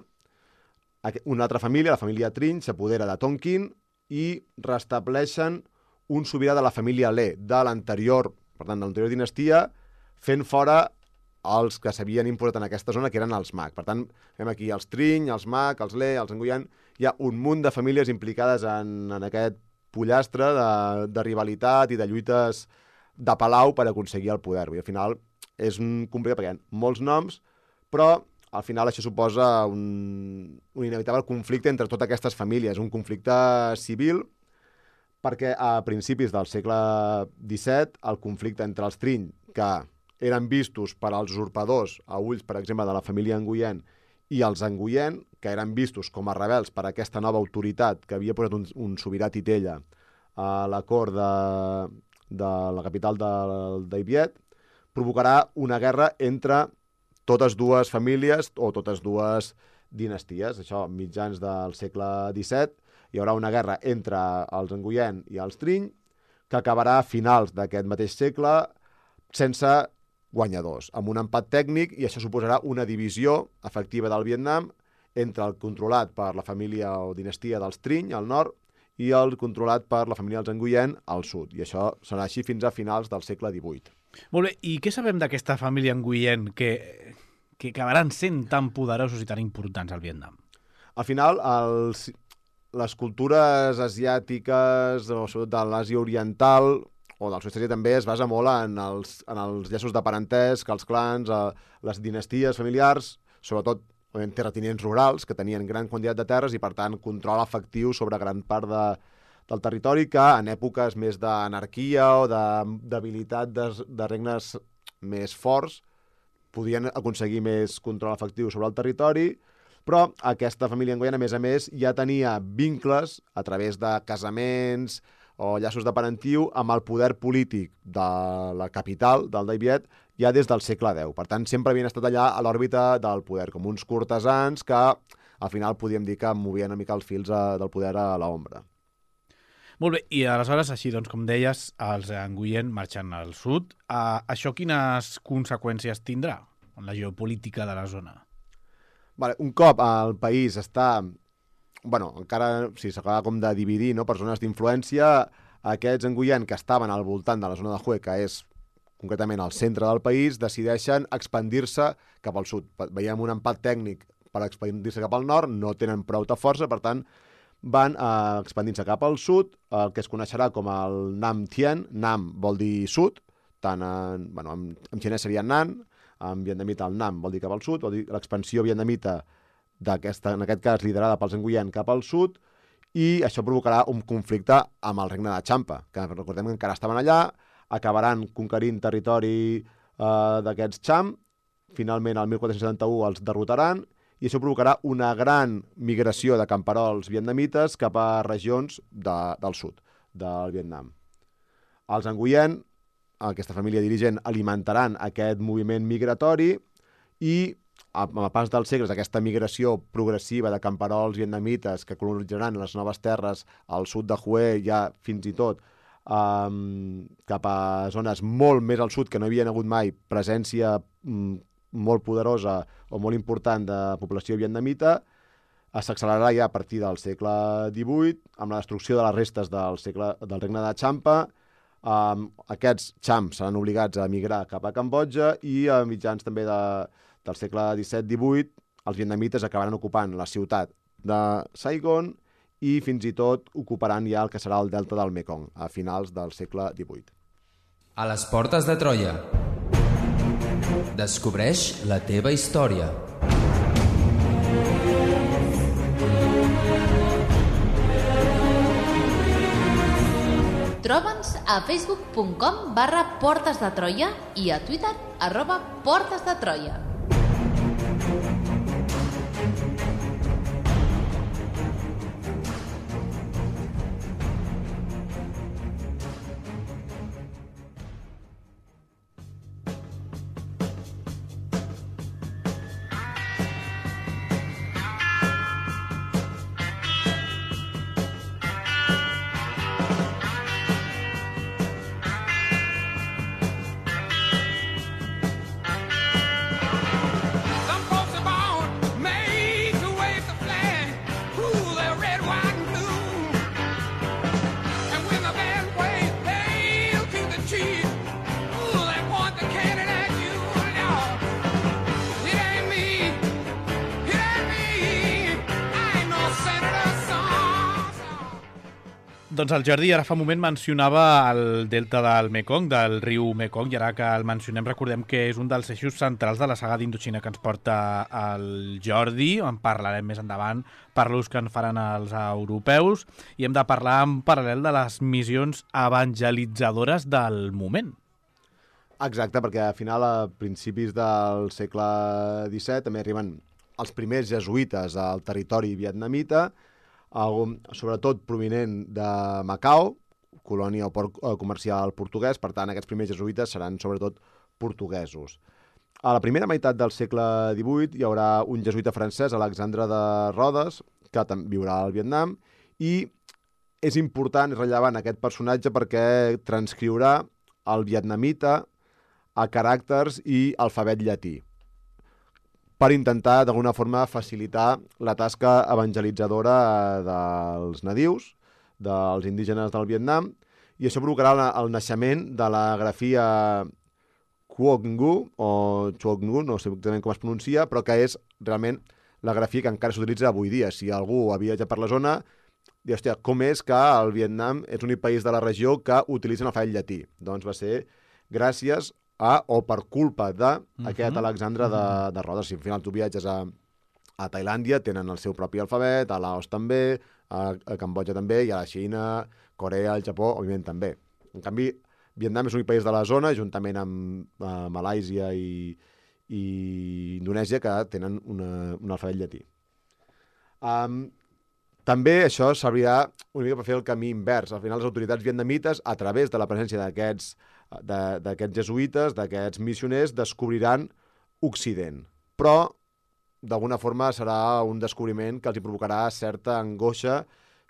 D: una altra família, la família Triny, s'apodera de Tonkin i restableixen un sobirà de la família Le, de l'anterior, per tant, de l'anterior dinastia, fent fora els que s'havien imposat en aquesta zona, que eren els Mac. Per tant, veiem aquí els Triny, els Mac, els Le, els Nguyen. Hi ha un munt de famílies implicades en, en aquest pollastre de, de rivalitat i de lluites de palau per aconseguir el poder. I al final és un complicat perquè hi ha molts noms, però al final això suposa un, un inevitable conflicte entre totes aquestes famílies, un conflicte civil, perquè a principis del segle disset el conflicte entre els Triny, que eren vistos per als usurpadors a ulls, per exemple, de la família Nguyen, i els Nguyen, que eren vistos com a rebels per aquesta nova autoritat que havia posat un, un sobirà titella a la cort de, de la capital del Dai Viet, provocarà una guerra entre totes dues famílies o totes dues dinasties. Això, mitjans del segle disset, hi haurà una guerra entre els Nguyen i els Triny, que acabarà a finals d'aquest mateix segle sense guanyadors, amb un empat tècnic, i això suposarà una divisió efectiva del Vietnam entre el controlat per la família o dinastia dels Triny, al nord, i el controlat per la família dels Nguyen, al sud. I això serà així fins a finals del segle divuit.
C: Molt bé, i què sabem d'aquesta família Nguyen que, que acabaran sent tan poderosos i tan importants al Vietnam?
D: Al final, els, les cultures asiàtiques, o sobretot de l'Àsia Oriental, o del sud-est asiàtic també, es basa molt en els, en els llaços de parentesc, els clans, eh, les dinasties familiars, sobretot en terratinents rurals, que tenien gran quantitat de terres i, per tant, control efectiu sobre gran part de, del territori, que en èpoques més d'anarquia o de debilitat de, de regnes més forts podien aconseguir més control efectiu sobre el territori, però aquesta família Nguyen, a més a més, ja tenia vincles a través de casaments o llaços de parentiu amb el poder polític de la capital, del Dai Viet, ja des del segle deu. Per tant, sempre havien estat allà a l'òrbita del poder, com uns cortesans que al final podíem dir que movien una mica els fils a, del poder a l'ombra.
C: Molt bé, i aleshores, així doncs, com deies, els Nguyen marxen al sud. Uh, això quines conseqüències tindrà en la geopolítica de la zona?
D: Vale, un cop el país està... bueno, encara si s'acaba com de dividir, no, per zones d'influència, aquests Nguyen que estaven al voltant de la zona de Hue, que és concretament al centre del país, decideixen expandir-se cap al sud. Veiem un empat tècnic per expandir-se cap al nord, no tenen prou de força, per tant, van eh, expandint-se cap al sud, el que es coneixerà com el Nam Thien. Nam vol dir sud, tant en, bueno, en, en xinès seria Nan, en vietnamita el Nam vol dir cap al sud, vol dir l'expansió vietnamita d'aquesta, en aquest cas liderada pels Nguyen cap al sud, i això provocarà un conflicte amb el regne de Champa, que recordem que encara estaven allà, acabaran conquerint territori eh, d'aquests Cham, finalment el mil quatre-cents setanta-u els derrotaran, i això provocarà una gran migració de camperols vietnamites cap a regions de, del sud del Vietnam. Els Nguyen, aquesta família dirigent, alimentaran aquest moviment migratori i amb el pas dels segles, aquesta migració progressiva de camperols vietnamites que colonitzaran les noves terres al sud de Hue, ja fins i tot um, cap a zones molt més al sud, que no hi havia hagut mai presència um, molt poderosa o molt important de població vietnamita, s'accelerarà ja a partir del segle divuit, amb la destrucció de les restes del, segle, del regne de Champa. Um, aquests Cham seran obligats a emigrar cap a Cambodja i a mitjans també de del segle disset divuit, els vietnamites acabaran ocupant la ciutat de Saigon i fins i tot ocuparan ja el que serà el delta del Mekong a finals del segle divuit.
E: A les portes de Troia. Descobreix la teva història.
A: Troba'ns a facebook punt com barra Portes de Troia i a Twitter arroba Portes de Troia.
C: Doncs el Jordi ara fa un moment mencionava el delta del Mekong, del riu Mekong, i ara que el mencionem recordem que és un dels eixos centrals de la saga d'Indoxina que ens porta el Jordi. En parlarem més endavant per l'ús que en faran els europeus i hem de parlar en paral·lel de les missions evangelitzadores del moment.
D: Exacte, perquè al final, a principis del segle disset, també arriben els primers jesuïtes al territori vietnamita, sobretot provinent de Macau, colònia o port comercial portuguès. Per tant, aquests primers jesuïtes seran sobretot portuguesos. A la primera meitat del segle divuit hi haurà un jesuïta francès, Alexandre de Rodes, que viurà al Vietnam, i és important, és rellevant aquest personatge perquè transcriurà el vietnamita a caràcters i alfabet llatí, per intentar, d'alguna forma, facilitar la tasca evangelitzadora dels nadius, dels indígenes del Vietnam, i això provocarà el naixement de la grafia Quoc Ngu, o Quoc Ngu, no sé exactament com es pronuncia, però que és realment la grafia que encara s'utilitza avui dia. Si algú ha viatjat per la zona, diu, hòstia, com és que el Vietnam és l'únic país de la regió que utilitzen l'alfabet llatí? Doncs va ser gràcies a, o per culpa d'aquest uh-huh. Alexandre de, de Rodes. Si al final tu viatges a, a Tailàndia, tenen el seu propi alfabet, a Laos també, a, a Cambodja també, i a la Xina, Corea, el Japó, òbviament també. En canvi, Vietnam és l'únic país de la zona, juntament amb uh, Malàisia i, i Indonèsia, que tenen una, un alfabet llatí. Um, també això servirà una mica per fer el camí invers. Al final, les autoritats vietnamites, a través de la presència d'aquests d'aquests jesuïtes, d'aquests missioners, descobriran Occident. Però, d'alguna forma, serà un descobriment que els hi provocarà certa angoixa,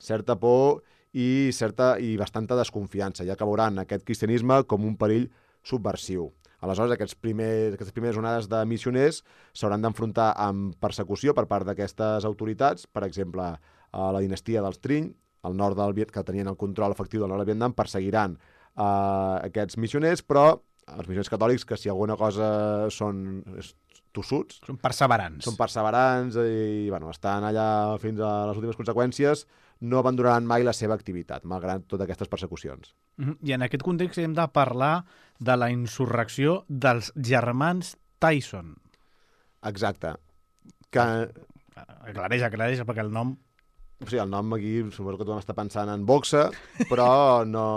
D: certa por i, certa, i bastanta desconfiança, ja que veuran aquest cristianisme com un perill subversiu. Aleshores, aquests primers, aquestes primeres onades de missioners s'hauran d'enfrontar amb persecució per part d'aquestes autoritats, per exemple, a la dinastia dels Trinh, al nord del Vietnam, que tenien el control efectiu del nord del Vietnam, perseguiran Uh, aquests missioners, però els missioners catòlics, que si alguna cosa són tossuts,
C: són perseverants,
D: són perseverants i bueno, estan allà fins a les últimes conseqüències, no abandonaran mai la seva activitat, malgrat totes aquestes persecucions.
C: Uh-huh. I en aquest context hem de parlar de la insurrecció dels germans Tyson.
D: Exacte. Que...
C: Aclareix, aclareix, perquè el nom...
D: O sigui, el nom aquí, suposo que tothom està pensant en boxa, però no...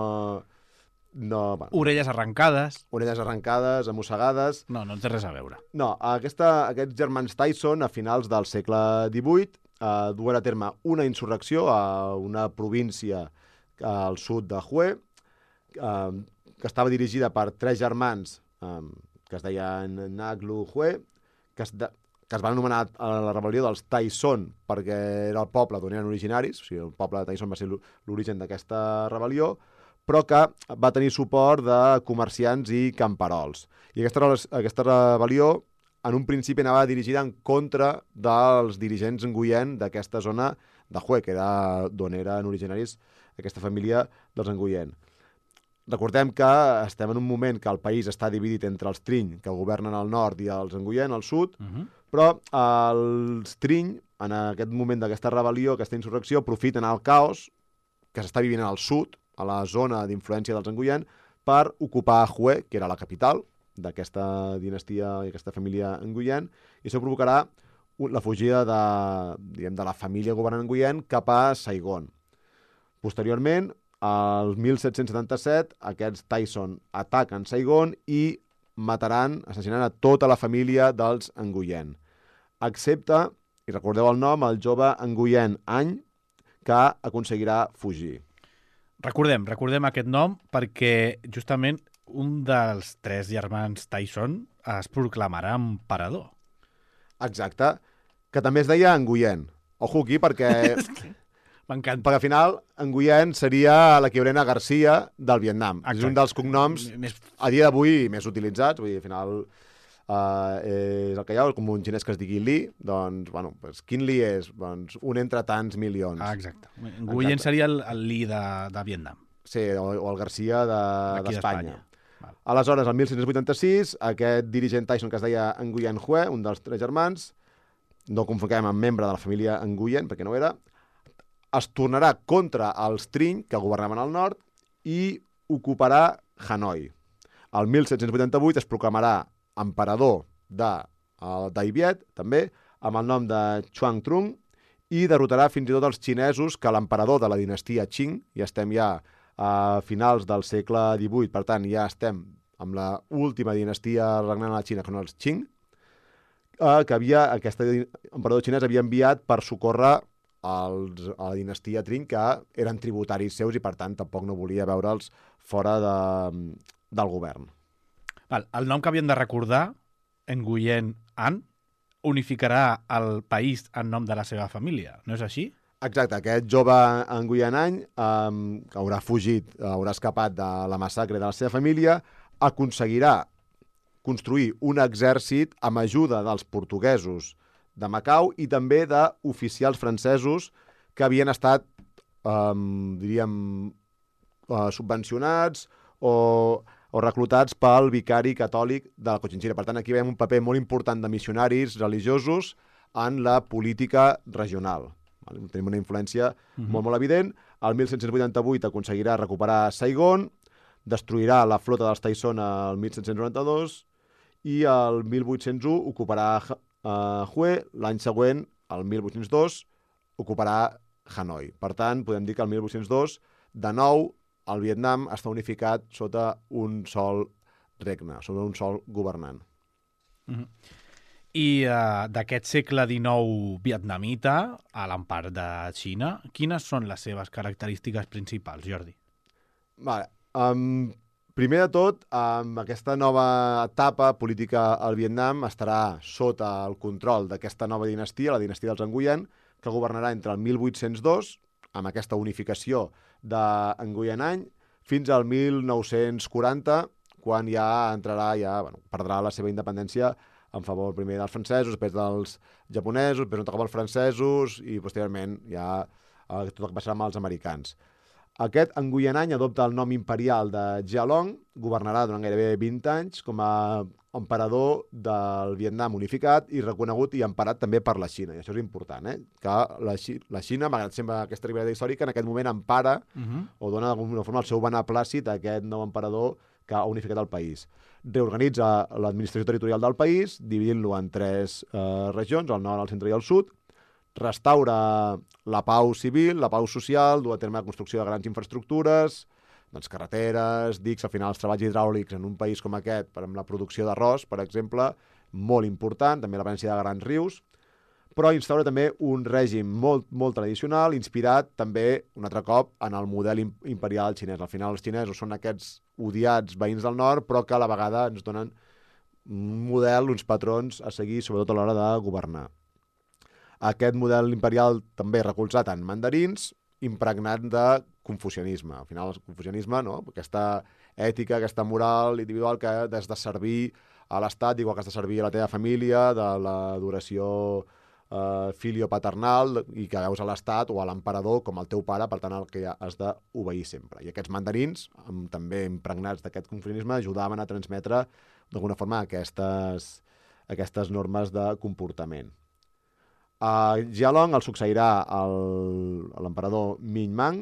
D: No, bueno.
C: Orelles arrencades.
D: Orelles arrencades, amossegades...
C: No, no té res a veure.
D: No, aquesta, aquests germans Tyson, a finals del segle divuit, eh, duen a terme una insurrecció a una província al sud de Hue, eh, que estava dirigida per tres germans eh, que es deien Naglu Hue, que es, de, que es van anomenar a la rebel·lió dels Tyson perquè era el poble d'on eren originaris, o sigui, el poble de Tyson va ser l'origen d'aquesta rebel·lió, però que va tenir suport de comerciants i camperols. I aquesta, aquesta rebel·lió, en un principi, anava dirigida en contra dels dirigents Nguyen d'aquesta zona de Hue, que era d'on eren originaris aquesta família dels Nguyen. Recordem que estem en un moment que el país està dividit entre els Trinh, que governen al nord, i els Nguyen al sud, uh-huh. però els Trinh, en aquest moment d'aquesta rebel·lió, aquesta insurrecció, aprofiten el caos que s'està vivint al sud, a la zona d'influència dels Nguyen, per ocupar Hue, que era la capital d'aquesta dinastia i aquesta família Nguyen, i això provocarà la fugida de, diguem, de la família governant Nguyen cap a Saigon. Posteriorment, al mil set-cents setanta-set, aquests Tyson ataquen Saigon i mataran, assassinant a tota la família dels Nguyen. Excepte, i recordeu el nom, el jove Nguyen Any, que aconseguirà fugir.
C: Recordem, recordem aquest nom perquè justament un dels tres germans Tyson es proclamarà emperador.
D: Exacte, que també es deia Nguyen. Ojo aquí, perquè...
C: M'encanta.
D: Perquè al final, Nguyen seria l'equivalent a Garcia del Vietnam.
C: Exacte.
D: És un dels cognoms,
C: Més...
D: a dia d'avui, més utilitzats. Vull dir, al final, uh, és el que hi ha, com un xinès que es digui Li, doncs, bueno, pues, quin Li és? Doncs un entre tants milions.
C: Ah, exacte. Nguyen seria el, el Li de, de Vietnam.
D: Sí, o, o el Garcia d'Espanya.
C: De,
D: Val. Aleshores, el mil set-cents vuitanta-sis, aquest dirigent Tyson que es deia Nguyen Hue, un dels tres germans, no confonguem amb membre de la família Nguyen, perquè no era, es tornarà contra els Trinh, que governaven al nord, i ocuparà Hanoi. El mil set-cents vuitanta-vuit es proclamarà emperador de uh, Dai Viet, també, amb el nom de Chuang Trung, i derrotarà fins i tot els xinesos, que l'emperador de la dinastia Qing, i estem ja a finals del segle divuit, per tant, ja estem amb la última dinastia regnant a la Xina, que són els Qing, uh, que havia, aquest emperador xinès havia enviat per socórrer Els, a la dinastia Trinh, que eren tributaris seus i, per tant, tampoc no volia veure'ls fora de, del govern.
C: Val, el nom que havien de recordar, Nguyen An, unificarà el país en nom de la seva família, no és així?
D: Exacte, aquest jove Nguyen Any, um, que haurà fugit, haurà escapat de la massacre de la seva família, aconseguirà construir un exèrcit amb ajuda dels portuguesos de Macau i també d'oficials francesos que havien estat, um, diríem, uh, subvencionats o, o reclutats pel vicari catòlic de la Cochinchina. Per tant, aquí veiem un paper molt important de missionaris religiosos en la política regional. Vale? Tenim una influència uh-huh. molt, molt evident. El mil set-cents vuitanta-vuit aconseguirà recuperar Saigon, destruirà la flota dels Tyson el mil set-cents noranta-dos i el mil vuit-cents u ocuparà Uh, Hue, l'any següent, el mil vuit-cents dos, ocuparà Hanoi. Per tant, podem dir que el mil vuit-cents dos, de nou, el Vietnam està unificat sota un sol regne, sota un sol governant.
C: Mm-hmm. I uh, d'aquest segle dinou vietnamita, a l'empart de Xina, quines són les seves característiques principals, Jordi?
D: Vale. Um, Primer de tot, amb aquesta nova etapa política al Vietnam estarà sota el control d'aquesta nova dinastia, la dinastia dels Nguyen, que governarà entre el mil vuit-cents dos, amb aquesta unificació de Nguyen Any, fins al mil nou-cents quaranta, quan ja entrarà, ja bueno, perdrà la seva independència en favor primer dels francesos, després dels japonesos, després un cop els francesos i posteriorment ja eh, tot el que passarà amb els americans. Aquest Nguyen Any adopta el nom imperial de Jialong, governarà durant gairebé vint anys com a emperador del Vietnam unificat i reconegut i emparat també per la Xina. I això és important, eh? Que la, Xi la Xina, malgrat sempre aquesta rivalitat històrica, en aquest moment empara uh-huh. o dona d'alguna forma el seu beneplàcit a aquest nou emperador que ha unificat el país. Reorganitza l'administració territorial del país, dividint-lo en tres eh, regions, el nord, el centre i el sud, restaura la pau civil, la pau social, du a terme la construcció de grans infraestructures, doncs carreteres, dics, al final els treballs hidràulics en un país com aquest, per amb la producció d'arròs, per exemple, molt important, també la presència de grans rius, però instaura també un règim molt, molt tradicional, inspirat també, un altre cop, en el model imperial xinès. Al final els xinesos són aquests odiats veïns del nord, però que a la vegada ens donen un model, uns patrons a seguir, sobretot a l'hora de governar. Aquest model imperial també recolzat en mandarins, impregnat de confucianisme. Al final, el confucianisme, no? Aquesta ètica, aquesta moral individual que has de servir a l'Estat, igual que has de servir a la teva família, de l'adoració eh, filio-paternal, i que veus a l'Estat o a l'emperador com el teu pare, per tant, el que has d'obeir sempre. I aquests mandarins, amb, també impregnats d'aquest confucianisme, ajudaven a transmetre d'alguna forma aquestes, aquestes normes de comportament. A Jialong el succeirà l'emperador Minh Mang,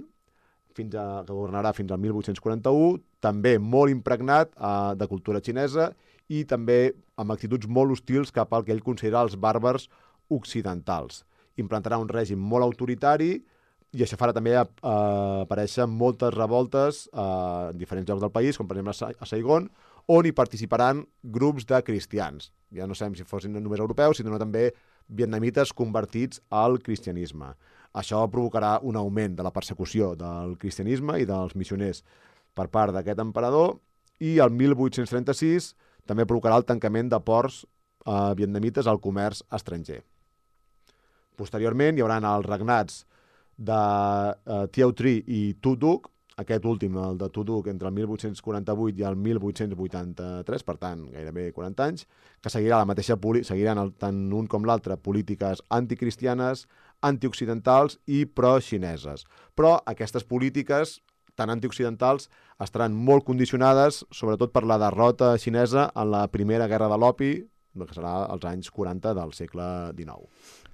D: fins a, que governarà fins al mil vuit-cents quaranta-u, també molt impregnat uh, de cultura xinesa i també amb actituds molt hostils cap al que ell considera els bàrbars occidentals. Implantarà un règim molt autoritari i això farà també uh, aparèixer moltes revoltes uh, en diferents llocs del país, com per exemple a Saigon, on hi participaran grups de cristians. Ja no sabem si fossin només europeus, sinó també vietnamites convertits al cristianisme. Això provocarà un augment de la persecució del cristianisme i dels missioners per part d'aquest emperador, i el mil vuit-cents trenta-sis també provocarà el tancament de ports eh, vietnamites al comerç estranger. Posteriorment hi haurà els regnats de eh, Thieu Tri i Tu Duc, aquest últim, el de Tu Duc, entre el mil vuit-cents quaranta-vuit i el mil vuit-cents vuitanta-tres, per tant, gairebé quaranta anys, que seguirà la mateixa seguiran el, tant un com l'altre polítiques anticristianes, antioccidentals i pro-xineses. Però aquestes polítiques tan antioccidentals estaran molt condicionades, sobretot per la derrota xinesa en la primera guerra de l'opi, que serà als anys quaranta del segle dinou.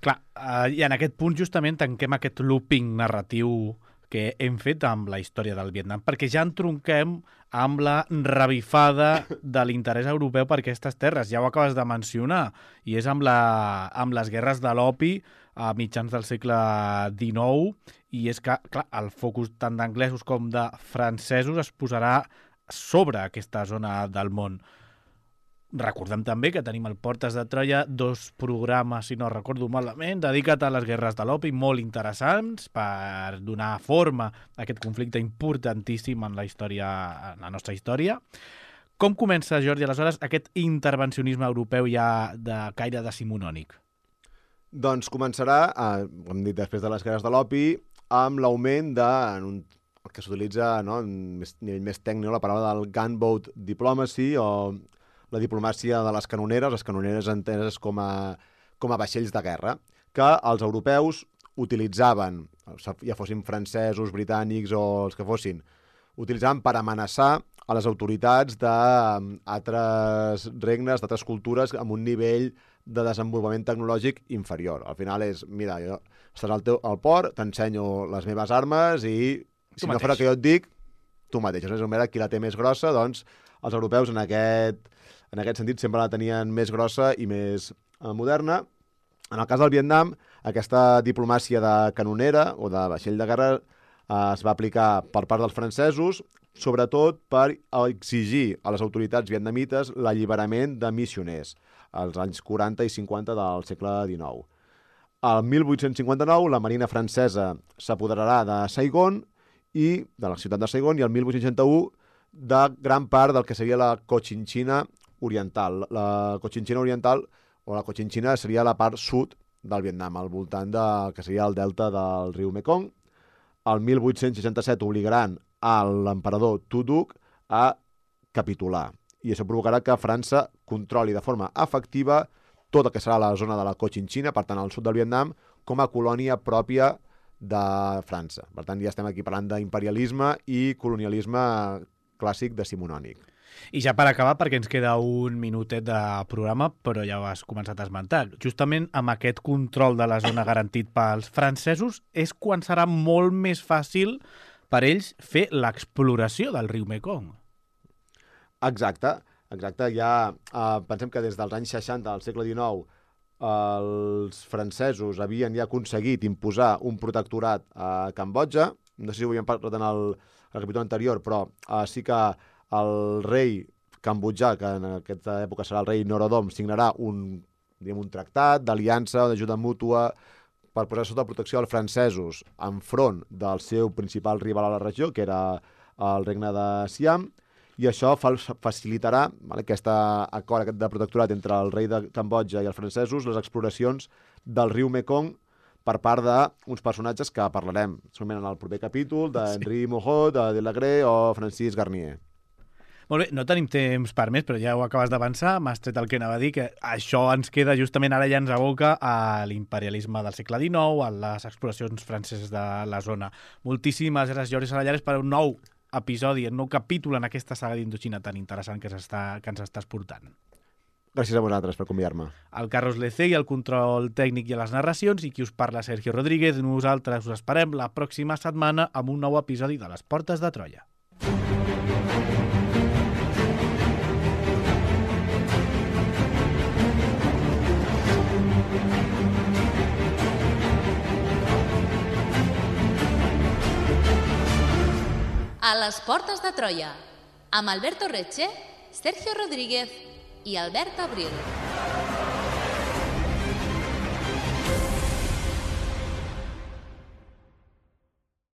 C: Clar, eh, i en aquest punt justament tanquem aquest looping narratiu que hem fet amb la història del Vietnam, perquè ja entronquem amb la revifada de l'interès europeu per aquestes terres. Ja ho acabes de mencionar, i és amb, la, amb les guerres de l'opi a mitjans del segle dinou, i és que, clar, el focus tant d'anglesos com de francesos es posarà sobre aquesta zona del món. Recordem també que tenim el Portes de Troia, dos programes, si no recordo malament, dedicat a les guerres de l'opi, molt interessants per donar forma a aquest conflicte importantíssim en la història, en la nostra història. Com comença, Jordi, aleshores, aquest intervencionisme europeu ja de caire decimonònic?
D: Doncs començarà, eh, hem dit després de les guerres de l'opi, amb l'augment de, en un, el que s'utilitza, no, en més, nivell més tècnic, la paraula del gunboat diplomacy, o la diplomàcia de les canoneres, les canoneres enteses com a, com a vaixells de guerra, que els europeus utilitzaven, ja fossin francesos, britànics o els que fossin, utilitzaven per amenaçar a les autoritats d'altres regnes, d'altres cultures amb un nivell de desenvolupament tecnològic inferior. Al final és, mira, jo estàs al, teu, al port, t'ensenyo les meves armes i si no farà que jo et dic, tu mateix. És una qui la té més grossa, doncs els europeus en aquest, en aquest sentit sempre la tenien més grossa i més eh, moderna. En el cas del Vietnam, aquesta diplomàcia de canonera o de vaixell de guerra eh, es va aplicar per part dels francesos, sobretot per exigir a les autoritats vietnamites l'alliberament de missioners als anys quaranta i cinquanta del segle dinou. Al mil vuit-cents cinquanta-nou, la marina francesa s'apoderarà de Saigon i de la ciutat de Saigon, i el mil vuit-cents seixanta-u de gran part del que seria la Cochinchina oriental. La Cochinchina oriental, o la Cochinchina, seria la part sud del Vietnam, al voltant del que seria el delta del riu Mekong. El mil vuit-cents seixanta-set obligaran a l'emperador Tu Duc a capitular, i això provocarà que França controli de forma efectiva tot el que serà la zona de la Cochinchina, per tant, al sud del Vietnam, com a colònia pròpia de França. Per tant, ja estem aquí parlant d'imperialisme i colonialisme clàssic decimonònic.
C: I ja per acabar, perquè ens queda un minutet de programa, però ja ho has començat a esmentar, justament amb aquest control de la zona garantit pels francesos és quan serà molt més fàcil per ells fer l'exploració del riu Mekong.
D: Exacte, exacte. Ja eh, pensem que des dels anys seixanta del segle dinou els francesos havien ja aconseguit imposar un protectorat a Cambodja. No sé si ho havíem parlat en el, el capítol anterior, però eh, sí que el rei cambodjà, que en aquesta època serà el rei Norodom, signarà un, diguem, un tractat d'aliança, d'ajuda mútua, per posar sota protecció als francesos enfront del seu principal rival a la regió, que era el regne de Siam, i això facilitarà, vale, aquest acord de protectorat entre el rei de Cambodja i els francesos, les exploracions del riu Mekong per part d'uns personatges que parlarem solament en el proper capítol, d'Henri Moreau, de Delagré o Francis Garnier.
C: Molt bé, no tenim temps per més, però ja ho acabes d'avançar, m'has tret el que anava a dir, que això ens queda justament ara, ja ens aboca a l'imperialisme del segle dinou, a les exploracions franceses de la zona. Moltíssimes gràcies, Jordi Salallares, per un nou episodi, un nou capítol en aquesta saga d'Indoxina tan interessant que, que ens estàs portant.
D: Gràcies a vosaltres per convidar-me.
C: El Carlos Lecegui, el control tècnic i a les narracions, i qui us parla, Sergio Rodríguez. Nosaltres us esperem la pròxima setmana amb un nou episodi de Les Portes de Troia.
A: a les Portes de Troia, amb Alberto Reche, Sergio Rodríguez i Albert Abril.